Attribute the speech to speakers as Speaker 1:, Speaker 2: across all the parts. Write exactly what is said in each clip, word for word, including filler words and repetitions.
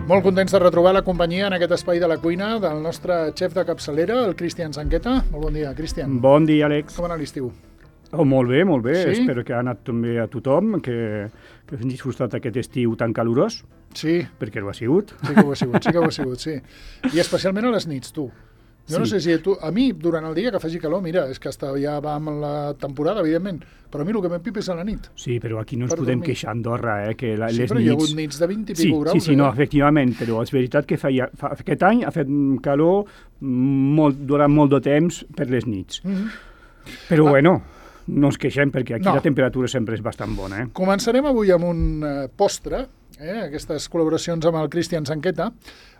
Speaker 1: Molt contents de retrobar la companyia en aquest espai de la cuina del nostre xef de capçalera, el Cristian Sanqueta. Molt bon dia, Cristian.
Speaker 2: Bon dia, Àlex.
Speaker 1: Com ha anat l'estiu?
Speaker 2: Oh, molt bé, molt bé.
Speaker 1: Sí?
Speaker 2: Espero que ha anat també a tothom, que, que hagin disfrutat aquest estiu tan calorós.
Speaker 1: Sí.
Speaker 2: Perquè ho ha sigut.
Speaker 1: Sí que ho ha sigut, sí que ho ha sigut, sí. I especialment a les nits, tu. Jo sí. No sé si tu... A mi, durant el dia que faci calor, mira, és que hasta ja va amb la temporada, evidentment, però a mi el que m'empipa és a la nit.
Speaker 2: Sí, però aquí no ens
Speaker 1: Per
Speaker 2: podem
Speaker 1: dormir.
Speaker 2: queixar a Andorra, eh, que la,
Speaker 1: Sí,
Speaker 2: les
Speaker 1: però
Speaker 2: nits...
Speaker 1: hi ha hagut nits de vint i
Speaker 2: sí,
Speaker 1: pico graus.
Speaker 2: Sí, sí,
Speaker 1: eh?
Speaker 2: no, efectivament, però és veritat que feia, fa, aquest any ha fet calor molt, durant molt de temps per les nits.
Speaker 1: Mm-hmm.
Speaker 2: Però
Speaker 1: ah.
Speaker 2: bueno, no ens queixem perquè aquí
Speaker 1: No.
Speaker 2: la temperatura sempre és bastant bona. Eh?
Speaker 1: Començarem avui amb un uh, postre, eh, aquestes col·laboracions amb el Cristian Sanqueta,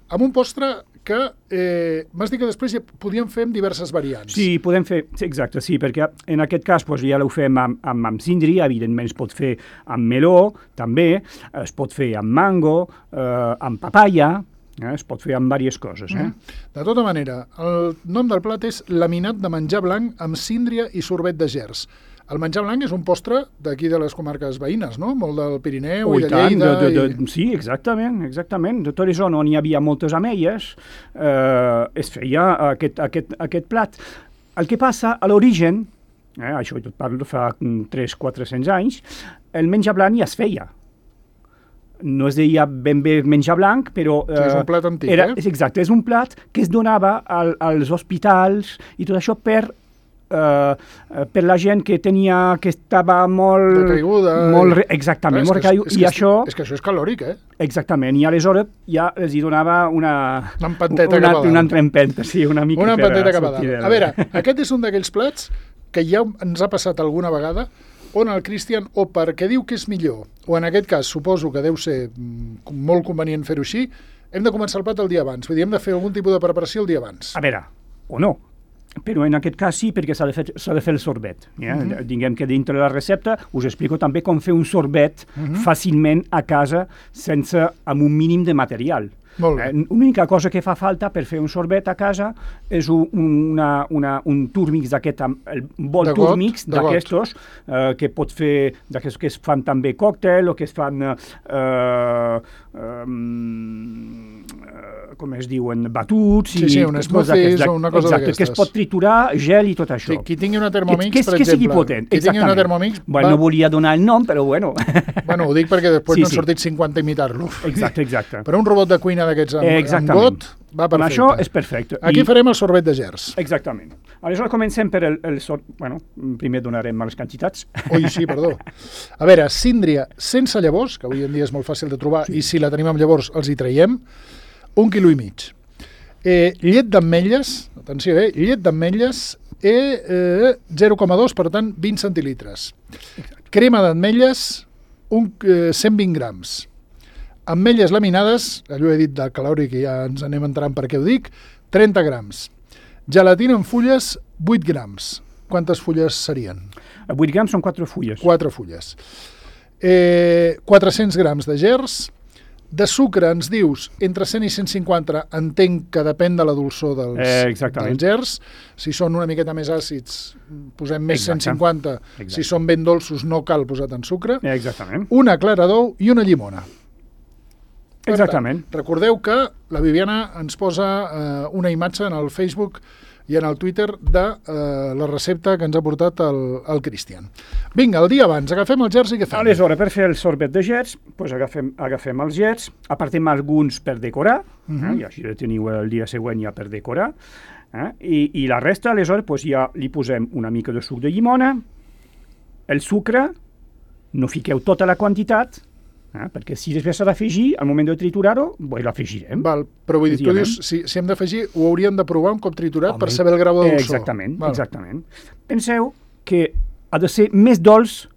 Speaker 1: amb un postre que eh, m'has dit que després ja podíem fer amb diverses variants.
Speaker 2: Sí, podem fer, sí, exacte, sí, perquè en aquest cas doncs, ja ho fem amb, amb, amb síndria, evidentment es pot fer amb meló, també, es pot fer amb mango, eh, amb papaya, eh, es pot fer amb diverses coses. Eh?
Speaker 1: Mm. De tota manera, el nom del plat és laminat de menjar blanc amb síndria i sorbet de gerds. El menjar blanc és un postre d'aquí de les comarques veïnes, no? Molt del Pirineu
Speaker 2: Oh,
Speaker 1: i de
Speaker 2: tant,
Speaker 1: Lleida.
Speaker 2: de, de,
Speaker 1: I...
Speaker 2: de, sí, exactament, exactament. De tota zona on hi havia moltes ametlles, eh, es feia aquest, aquest, aquest plat. El que passa, a l'origen, eh, això jo et parlo de fa tres a quatre-cents anys, el menjar blanc ja es feia. No es deia ben bé menjar blanc, però...
Speaker 1: Eh, sí, és un plat antic,
Speaker 2: era,
Speaker 1: eh?
Speaker 2: És exacte, és un plat que es donava al, als hospitals i tot això per... Uh, per la gent que tenia que estava molt
Speaker 1: decaiguda
Speaker 2: molt re, exactament,
Speaker 1: és
Speaker 2: molt recaiguda i
Speaker 1: és
Speaker 2: això
Speaker 1: és que això és calòric, eh?
Speaker 2: Exactament, i aleshores ja els hi donava una
Speaker 1: una empanteta
Speaker 2: una,
Speaker 1: cap a dalt.
Speaker 2: una entrempenta, sí, una mica
Speaker 1: una
Speaker 2: per
Speaker 1: empanteta cap a
Speaker 2: sortir
Speaker 1: dalt.
Speaker 2: de la-
Speaker 1: A veure, aquest és un d'aquells plats que ja ens ha passat alguna vegada on el Cristian, o perquè diu que és millor, o en aquest cas suposo que deu ser mm, molt convenient fer-ho així, hem de començar el plat el dia abans, vull dir, hem de fer algun tipus de preparació el dia abans.
Speaker 2: A veure, o no, però en aquest cas sí, perquè s'ha de fer, s'ha de fer el sorbet. Ja?
Speaker 1: Mhm.
Speaker 2: Diguem que dintre de la recepta us explico també com fer un sorbet
Speaker 1: Mhm.
Speaker 2: fàcilment a casa sense, amb un mínim de material.
Speaker 1: Molt bé.
Speaker 2: Eh, L'única cosa que fa falta per fer un sorbet a casa és un, una, una, un turmix d'aquest, amb el bol
Speaker 1: De got,
Speaker 2: turmix
Speaker 1: de got.
Speaker 2: d'aquestos, eh, que pot fer, d'aquests que es fan també còctel o que es fan, eh, eh, eh, com es diuen, batuts
Speaker 1: Sí,
Speaker 2: i
Speaker 1: sí, un
Speaker 2: coses
Speaker 1: smoothies
Speaker 2: d'aquestes.
Speaker 1: o una cosa
Speaker 2: Exacte, que es
Speaker 1: d'aquestes.
Speaker 2: pot triturar, gel i tot això.
Speaker 1: Sí, qui tingui una Thermomix,
Speaker 2: que, que,
Speaker 1: per
Speaker 2: que
Speaker 1: exemple.
Speaker 2: sigui potent,
Speaker 1: Qui tingui una
Speaker 2: exactament.
Speaker 1: Thermomix...
Speaker 2: Bueno,
Speaker 1: va...
Speaker 2: no volia donar el nom, però bueno.
Speaker 1: Bueno, ho dic perquè després
Speaker 2: Sí,
Speaker 1: no han
Speaker 2: sí.
Speaker 1: sortit cinquanta a imitar-lo.
Speaker 2: Exacte, exacte.
Speaker 1: Però un robot de cuina d'aquests amb, amb
Speaker 2: Exactament.
Speaker 1: got va
Speaker 2: Amb
Speaker 1: perfecte.
Speaker 2: això és perfecte.
Speaker 1: Aquí
Speaker 2: I-
Speaker 1: farem el sorbet de gerds.
Speaker 2: Exactament. Aleshores comencem per el, el sor... Bueno, primer donarem les quantitats.
Speaker 1: Ui, sí, perdó. A veure, síndria sense llavors, que avui en dia és molt fàcil de trobar, sí. I si la tenim amb llavors els hi traiem, un quilo i mig. Eh, llet d'ametlles, atenció, eh, llet d'ametlles, eh, eh, zero coma dos, per tant, vint centilitres. Crema d'ametlles, un, eh, cent vint grams. Ametlles laminades, allò he dit del calòric i ja ens anem entrant per què ho dic, trenta grams. Gelatina en fulles, vuit grams. Quantes fulles serien?
Speaker 2: vuit grams són quatre fulles.
Speaker 1: Quatre fulles. Eh, quatre-cents grams de gerds. De sucre ens dius entre cent i cent cinquanta, entenc que depèn de la dolçor dels,
Speaker 2: Eh, exactament.
Speaker 1: dels gerds. Si són una miqueta més àcids, posem més
Speaker 2: Exacte.
Speaker 1: cent cinquanta.
Speaker 2: Exacte.
Speaker 1: Si són ben dolços, no cal posar tant sucre.
Speaker 2: Eh, Exactament.
Speaker 1: Una clara d'ou i una llimona. Per
Speaker 2: Exactament.
Speaker 1: Tant, recordeu que la Viviana ens posa eh, una imatge en el Facebook i en el Twitter de eh, la recepta que ens ha portat el, el Cristian. Vinga, el dia abans, agafem els gerds i què fem?
Speaker 2: Aleshores, per fer el sorbet de gerds, doncs agafem, agafem els gerds, apartem alguns per decorar,
Speaker 1: Mhm.
Speaker 2: eh, i així el teniu el dia següent ja per decorar, eh, i, i la resta, aleshores, doncs ja li posem una mica de suc de llimona, el sucre, no fiqueu tota la quantitat, eh, perquè si després s'ha d'afegir, al moment de triturar-ho, doncs l'afegirem.
Speaker 1: Val, però vull dir, tu
Speaker 2: Senzillament.
Speaker 1: dius, si, si hem d'afegir, ho hauríem de provar un cop triturat
Speaker 2: Home,
Speaker 1: per saber el grau de
Speaker 2: eh,
Speaker 1: dolçor.
Speaker 2: Exactament,
Speaker 1: Val.
Speaker 2: exactament. Penseu que ha de ser més dolç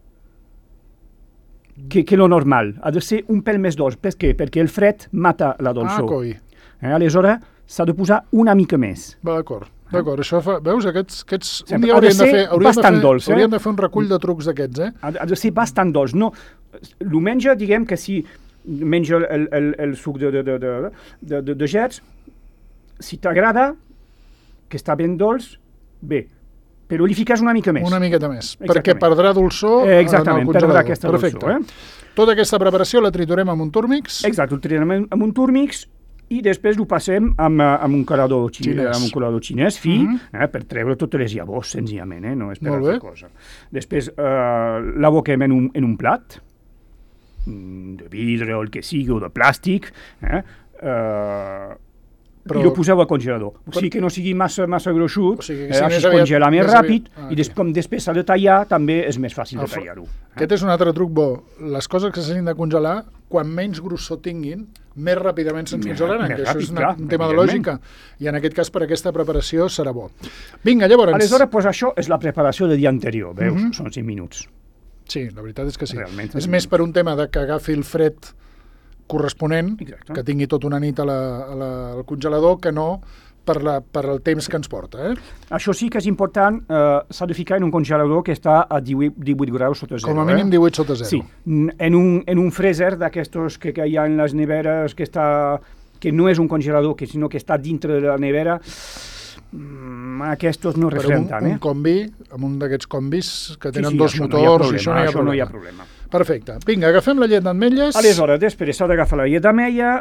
Speaker 2: que, que lo normal. Ha de ser un pèl més dolç. Per què? Perquè el fred mata la
Speaker 1: Ah,
Speaker 2: dolçor.
Speaker 1: coi.
Speaker 2: Eh, aleshores, s'ha de posar una mica més.
Speaker 1: Va, d'acord. D'acord, això fa... Veus, aquests... aquests un
Speaker 2: Sempre
Speaker 1: dia
Speaker 2: ha de
Speaker 1: hauríem de,
Speaker 2: ser
Speaker 1: fer, hauríem, de
Speaker 2: bastant
Speaker 1: fer,
Speaker 2: dolç, eh?
Speaker 1: hauríem de fer un recull de trucs d'aquests, eh?
Speaker 2: Ha, ha de ser bastant dolç. No, diumenge, diguem que si menja el, el, el, el suc de, de, de, de, de, de, de gerds, si t'agrada, que està ben dolç, bé, però li fiques una mica més.
Speaker 1: Una miqueta més,
Speaker 2: Exactament.
Speaker 1: perquè perdrà dolçor
Speaker 2: Eh,
Speaker 1: en
Speaker 2: exactament,
Speaker 1: el
Speaker 2: perdrà
Speaker 1: congelador.
Speaker 2: aquesta
Speaker 1: Perfecte.
Speaker 2: dolçor. Eh?
Speaker 1: Tota aquesta preparació la triturem amb un túrmix?
Speaker 2: Exacte, ho triturem amb un túrmix i després ho passem amb, amb un colador xinès, amb un colador xinès fi, mm -hmm. eh, per treure totes les llavors, senzillament, eh, no és per altra cosa. Després eh, l'aboquem en un, en un plat, de vidre o el que sigui, o de plàstic, eh, eh, Però... i ho poseu al congelador. O sigui que no sigui massa, massa gruixut, o sigui, eh, si així es congela més, més ràpid, ah, i des, com després s'ha de tallar, també és més fàcil de tallar-ho. Eh?
Speaker 1: Aquest és un altre truc bo. Les coses que s'hagin de congelar, quan menys grossor tinguin, més ràpidament se'ns congelaran, que això és una, clar, un tema de lògica, i en aquest cas per aquesta preparació serà bo. Vinga, llavors...
Speaker 2: Aleshores, pues, això és la preparació del dia anterior, veus? Mm -hmm. Són cinc minuts.
Speaker 1: Sí, la veritat és que sí.
Speaker 2: Realment,
Speaker 1: és més per un tema de que agafi el fred corresponent,
Speaker 2: exacte,
Speaker 1: que tingui tota una nit a la, a la, al congelador, que no per, la, per el temps que ens porta. Eh?
Speaker 2: Això sí que és important, eh, s'ha de ficar en un congelador que està a divuit, divuit graus sota zero.
Speaker 1: Com a mínim
Speaker 2: eh?
Speaker 1: divuit sota zero.
Speaker 2: Sí, en un, en un freezer d'aquestos que, que hi ha en les neveres, que, està, que no és un congelador, que, sinó que està dintre de la nevera, mm, aquests no refreden tant.
Speaker 1: Un,
Speaker 2: eh?
Speaker 1: un combi, amb un d'aquests combis que tenen
Speaker 2: sí, sí,
Speaker 1: dos motors,
Speaker 2: no problema,
Speaker 1: i això no hi ha
Speaker 2: això
Speaker 1: problema.
Speaker 2: No hi ha problema.
Speaker 1: Perfecte. Vinga, agafem la llet d'ametlles.
Speaker 2: Aleshores, després s'ha d'agafar la llet d'ametlla,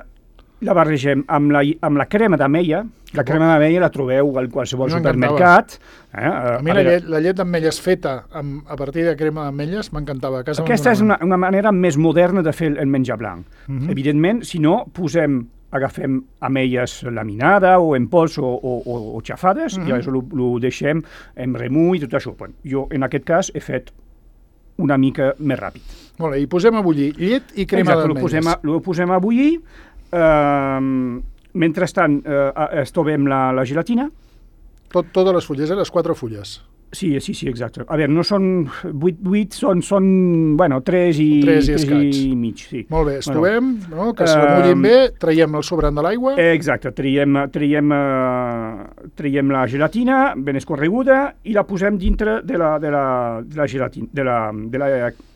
Speaker 2: la barregem amb la, amb la crema d'ametlla. La crema d'ametlla la trobeu al qualsevol supermercat. Eh?
Speaker 1: A mi a la llet, la llet d'ametlles feta amb, a partir de crema d'ametlles m'encantava.
Speaker 2: Aquesta és una, una manera més moderna de fer el menjar blanc. Uh -huh. Evidentment, si no, posem, agafem ametlles laminades o en pols o, o, o, o xafades, uh -huh. i llavors ho deixem en remull i tot això. Bueno, jo, en aquest cas, he fet una mica més ràpid.
Speaker 1: Molt bé, i posem a bullir llet i crema d'ametlles.
Speaker 2: Exacte, ho posem a bullir. Uh, mentrestant, uh, estovem la, la gelatina.
Speaker 1: Tot, totes les fulles, eh? Les quatre fulles.
Speaker 2: Sí, sí, sí, exacte. A veure, no són vuit, vuit són, són, bueno, tres i,
Speaker 1: tres i,
Speaker 2: tres i mig, sí.
Speaker 1: Molt bé, estovem, bueno, no? Que es remullin um, bé, traiem el sobrant de l'aigua.
Speaker 2: Exacte, traiem, traiem, uh, traiem la gelatina ben escorreguda i la posem dintre de la, de la, de la gelatina, de la, de la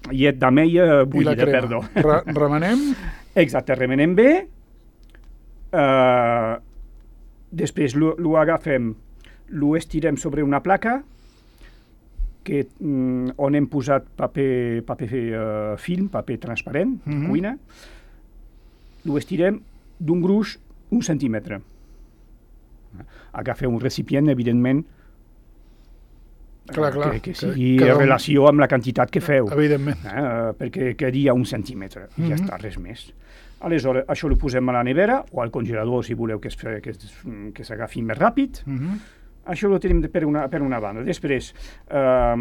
Speaker 2: llet d'ametlla bullida, perdó.
Speaker 1: Re remenem.
Speaker 2: Exacte, remenem bé. Uh, després ho agafem, ho estirem sobre una placa que, mm, on hem posat paper, paper uh, film, paper transparent, mm -hmm. cuina. Ho estirem d'un gruix un centímetre. Agafeu un recipient, evidentment,
Speaker 1: clar, clar,
Speaker 2: que, que sigui en relació amb la quantitat que feu.
Speaker 1: Evidentment.
Speaker 2: Eh, perquè quedaria un centímetre, i mm -hmm. ja està, res més. Aleshores, això ho posem a la nevera o al congelador, si voleu que s'agafi més ràpid. Mm -hmm. Això ho tenim per una, per una banda. Després, eh,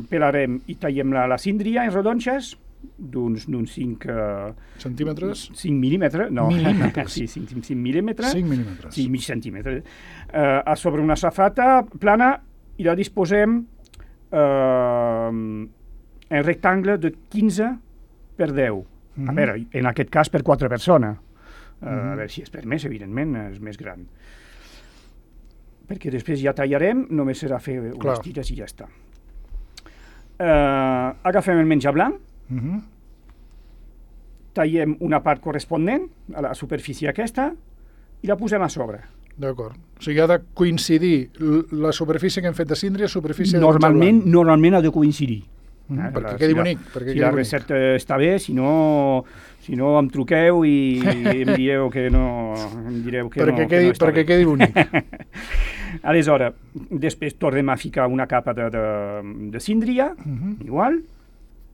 Speaker 2: pelarem i tallem la, la síndria en rodonxes, d'uns cinc... Uh,
Speaker 1: centímetres?
Speaker 2: cinc mil·límetres, no.
Speaker 1: Mil·límetres.
Speaker 2: Sí, cinc mil·límetres.
Speaker 1: cinc mil·límetres.
Speaker 2: Sí, mig centímetre. Uh, a sobre una safata plana i la disposem uh, en rectangle de quinze per deu. Mm -hmm. A veure, en aquest cas per quatre persones. Uh, mm -hmm. A veure si és per més, evidentment, és més gran. Perquè després ja tallarem, només serà fer unes Clar. tires i ja està. Uh, agafem el menjar blanc, uh -huh. tallem una part corresponent a la superfície aquesta i la posem a sobre.
Speaker 1: D'acord. O sigui, ha de coincidir la superfície que hem fet de síndria, superfície
Speaker 2: normalment,
Speaker 1: de menjar blanc.
Speaker 2: Normalment ha de coincidir.
Speaker 1: Mm -hmm. eh, perquè la, quedi
Speaker 2: si
Speaker 1: bonic.
Speaker 2: La,
Speaker 1: perquè
Speaker 2: si
Speaker 1: quedi
Speaker 2: la
Speaker 1: bonic.
Speaker 2: recepta està bé, si no, si no em truqueu i em direu que no, em direu que
Speaker 1: perquè
Speaker 2: no,
Speaker 1: quedi,
Speaker 2: que no està
Speaker 1: perquè
Speaker 2: bé.
Speaker 1: quedi bonic.
Speaker 2: Aleshores, després tornem a ficar una capa de, de, de síndria, uh -huh. igual,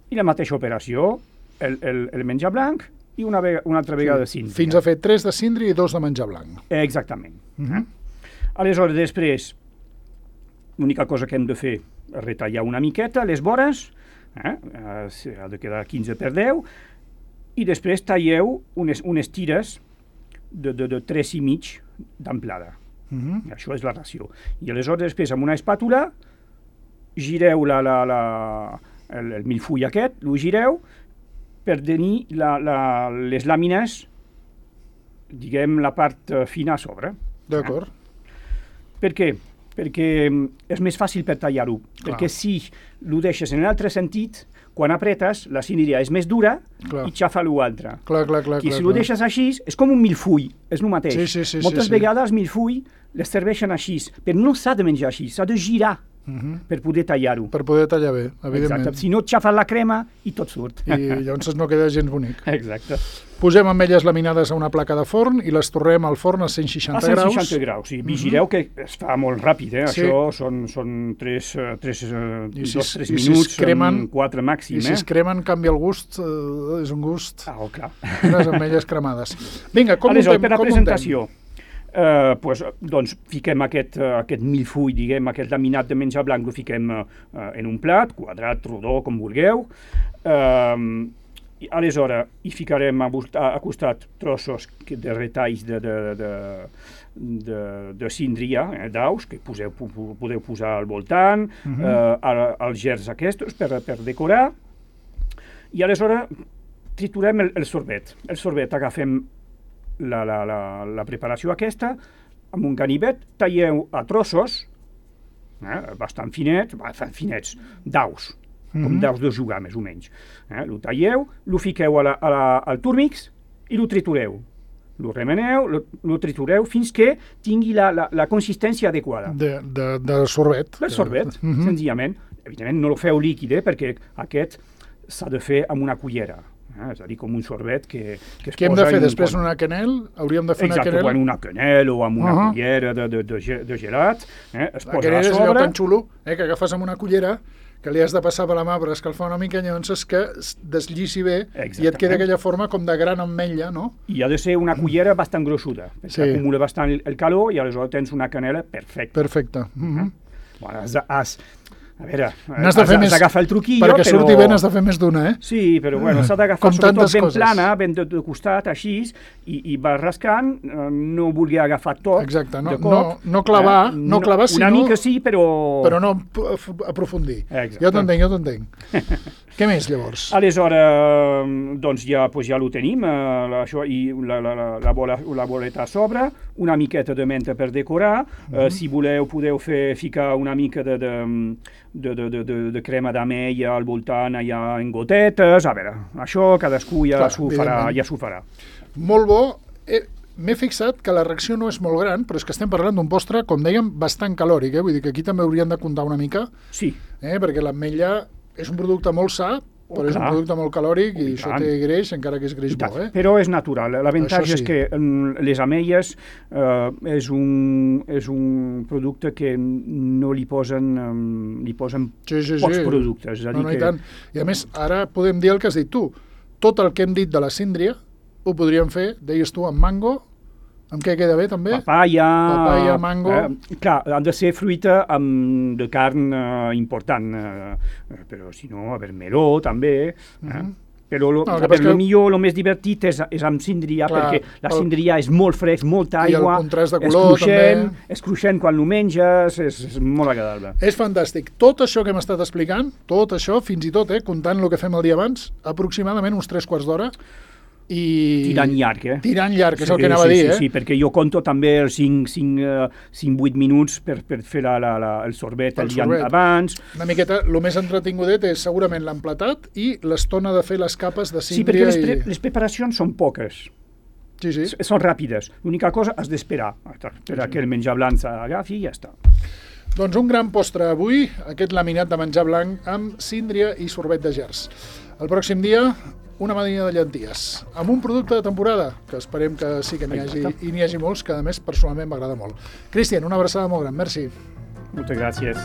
Speaker 2: i la mateixa operació, el, el, el menjar blanc i una, vega, una altra vegada sí, de síndria.
Speaker 1: Fins a fer tres de síndria i dos de menjar blanc.
Speaker 2: Exactament. Uh
Speaker 1: -huh.
Speaker 2: eh? Aleshores, després, l'única cosa que hem de fer és retallar una miqueta les vores, eh? ha de quedar quinze per deu, i després talleu unes, unes tires de, de, de tres i mig d'amplada. Uh -huh. Això és la ració. I aleshores després amb una espàtula gireu la, la, la, el, el milfull aquest, lo gireu per tenir la, la, les làmines, diguem, la part fina a sobre.
Speaker 1: D'acord.
Speaker 2: Eh? Per què? Perquè és més fàcil per tallar-ho. Perquè si ho deixes en l'altre sentit, quan apretes, la síndria és més dura clar. I xafa l'altre.
Speaker 1: Clar, clar, clar.
Speaker 2: I si
Speaker 1: clar,
Speaker 2: ho deixes així, és com un milfull, és el mateix.
Speaker 1: Sí, sí, sí,
Speaker 2: Moltes
Speaker 1: sí,
Speaker 2: vegades el milfull les serveixen així, però no s'ha de menjar així, s'ha de girar
Speaker 1: Uh-huh.
Speaker 2: per poder tallar-ho.
Speaker 1: Per poder tallar bé, evidentment.
Speaker 2: Exacte. Si no et xafes la crema i tot surt.
Speaker 1: I llavors no queda gens bonic.
Speaker 2: Exacte.
Speaker 1: Posem ametlles laminades a una placa de forn i les torrem al forn a cent seixanta graus.
Speaker 2: A cent seixanta graus, sí. Vigileu uh-huh. que es fa molt ràpid, eh?
Speaker 1: Sí.
Speaker 2: Això són, són tres, tres, si dos,
Speaker 1: es,
Speaker 2: tres minuts,
Speaker 1: si cremen,
Speaker 2: quatre màxim.
Speaker 1: I si
Speaker 2: eh?
Speaker 1: es cremen canvia el gust, eh, és un gust.
Speaker 2: Ah, oh, clar.
Speaker 1: Unes ametlles cremades. Vinga, com
Speaker 2: Aleshores,
Speaker 1: muntem?
Speaker 2: per la
Speaker 1: Com
Speaker 2: presentació, Uh, pues, doncs fiquem aquest, uh, aquest milfull, diguem, aquest laminat de menjar blanc, ho fiquem uh, en un plat, quadrat, rodó, com vulgueu. Uh, i, aleshores, hi ficarem a, a, a costat trossos de retalls de, de, de, de, de síndria, eh, d'aus, que poseu, podeu posar al voltant, uh-huh. uh, als gerds aquests per, per decorar. I aleshores triturem el, el sorbet. El sorbet agafem La, la, la, la preparació aquesta, amb un ganivet, talleu a trossos, eh, bastant finets, bastant finets, daus, mm-hmm. com daus de jugar, més o menys. Eh, lo talleu, lo fiqueu a la, a la, al turmix i lo tritureu. Lo remeneu, lo, lo tritureu fins que tingui la, la, la consistència adequada.
Speaker 1: De, de, de sorbet.
Speaker 2: Del sorbet, mm-hmm. senzillament. Evidentment no lo feu líquid, eh, perquè aquest s'ha de fer amb una cullera. Eh, és a dir, com un sorbet que, que es
Speaker 1: Què hem
Speaker 2: posa
Speaker 1: de fer
Speaker 2: en
Speaker 1: després?
Speaker 2: un...
Speaker 1: Una quenel? Hauríem de fer
Speaker 2: Exacte,
Speaker 1: una quenel?
Speaker 2: Exacte, una quenel o amb una
Speaker 1: uh-huh.
Speaker 2: cullera de, de, de, de gelat. Eh, es
Speaker 1: la
Speaker 2: posa
Speaker 1: quenel
Speaker 2: a
Speaker 1: és allò
Speaker 2: sobre.
Speaker 1: tan xulo, eh, que agafes amb una cullera, que li has de passar per la mà per escalfar una mica, llavors és que desllici bé
Speaker 2: Exactament.
Speaker 1: I et queda aquella forma com de gran ametlla, no?
Speaker 2: I ha de ser una cullera bastant grossuda, perquè
Speaker 1: Sí.
Speaker 2: acumula bastant el, el calor i aleshores tens una canela perfecta.
Speaker 1: Perfecte. Uh-huh.
Speaker 2: Bueno, has, de- has, a veure,
Speaker 1: N'has de fer
Speaker 2: has,
Speaker 1: més-
Speaker 2: has d'agafar el truquillo,
Speaker 1: Perquè
Speaker 2: però...
Speaker 1: surti bé n'has de fer més d'una, eh?
Speaker 2: Sí, però bueno, s'ha d'agafar
Speaker 1: Com
Speaker 2: sobretot
Speaker 1: tantes
Speaker 2: ben
Speaker 1: coses.
Speaker 2: plana, ben de, de costat, així, i, i vas rascant, eh, no volia agafar tot
Speaker 1: Exacte, no,
Speaker 2: de cop.
Speaker 1: no, no clavar,
Speaker 2: eh,
Speaker 1: no clavar,
Speaker 2: Una
Speaker 1: sinó...
Speaker 2: mica sí, però...
Speaker 1: Però no p- aprofundir.
Speaker 2: Exacte.
Speaker 1: Jo t'entenc, jo t'entenc. Què més, llavors?
Speaker 2: Aleshores, doncs ja, pues ja ho tenim, eh, la, això, i la, la, la, la, bola, la boleta a sobre, una miqueta de menta per decorar, uh-huh. eh, si voleu podeu fer, ficar una mica de, de, de, de, de, de, de crema d'ametlla al voltant, allà en gotetes, a veure, això cadascú ja
Speaker 1: Clar,
Speaker 2: s'ho farà,
Speaker 1: evidentment.
Speaker 2: ja s'ho farà.
Speaker 1: Molt bo. Eh, M'he fixat que la reacció no és molt gran, però és que estem parlant d'un postre, com dèiem, bastant calòric, eh? Vull dir que aquí també haurien de comptar una mica,
Speaker 2: Sí,
Speaker 1: eh? Perquè l'ametlla és un producte molt sa,
Speaker 2: Oh,
Speaker 1: però és un
Speaker 2: clar.
Speaker 1: producte molt calòric i,
Speaker 2: Oh, i
Speaker 1: això
Speaker 2: tant.
Speaker 1: té greix, encara que és greix
Speaker 2: i tant,
Speaker 1: bo, eh?
Speaker 2: però és natural. L'avantatge
Speaker 1: Això sí.
Speaker 2: és que mm, les ametlles eh, és, un, és un producte que no li posen, um, li posen
Speaker 1: Sí, sí,
Speaker 2: pocs
Speaker 1: sí.
Speaker 2: productes. És a
Speaker 1: No,
Speaker 2: dir
Speaker 1: no, i
Speaker 2: que...
Speaker 1: tant. I a més, ara podem dir el que has dit tu. Tot el que hem dit de la síndria ho podríem fer, deies tu, amb mango. Amb què queda bé, també?
Speaker 2: Papaya,
Speaker 1: Papaya, mango.
Speaker 2: Eh, clar, han de ser fruita amb, de carn eh, important, eh, però si no, a veure, meló també. Eh?
Speaker 1: Mhm.
Speaker 2: Però lo,
Speaker 1: No, el que
Speaker 2: a
Speaker 1: passa
Speaker 2: veure, lo
Speaker 1: que-
Speaker 2: millor, el més divertit és, és amb síndria,
Speaker 1: Clar,
Speaker 2: perquè la
Speaker 1: el-
Speaker 2: síndria és molt fresc, molta
Speaker 1: I el
Speaker 2: aigua,
Speaker 1: contrast de
Speaker 2: és
Speaker 1: color,
Speaker 2: cruixent,
Speaker 1: també.
Speaker 2: és cruixent quan ho menges, és, és molt agradable.
Speaker 1: És fantàstic. Tot això que hem estat explicant, tot això, fins i tot, eh, comptant el que fem el dia abans, aproximadament uns tres quarts d'hora, i...
Speaker 2: Tirant llarg, eh?
Speaker 1: Tirant llarg, que és el
Speaker 2: Sí,
Speaker 1: que anava
Speaker 2: sí,
Speaker 1: a dir,
Speaker 2: sí,
Speaker 1: eh?
Speaker 2: Sí, perquè jo conto també els cinc vuit minuts per, per fer la, la, la, el sorbet
Speaker 1: El
Speaker 2: el dia
Speaker 1: sorbet.
Speaker 2: abans.
Speaker 1: Una miqueta, el més entretingudet és segurament l'emplatat i l'estona de fer les capes de
Speaker 2: Sí, perquè
Speaker 1: síndria.
Speaker 2: les, pre
Speaker 1: i...
Speaker 2: les preparacions són poques.
Speaker 1: Sí, sí.
Speaker 2: S- Són ràpides. L'única cosa has d'esperar per que el menjar blanc s'agafi i ja està.
Speaker 1: Doncs un gran postre avui, aquest laminat de menjar blanc amb síndria i sorbet de gerds. El pròxim dia, una madrina de llenties, amb un producte de temporada, que esperem que sí que n'hi hagi, i n'hi hagi molts, que a més personalment m'agrada molt. Cristian, una abraçada molt gran, merci.
Speaker 2: Moltes gràcies.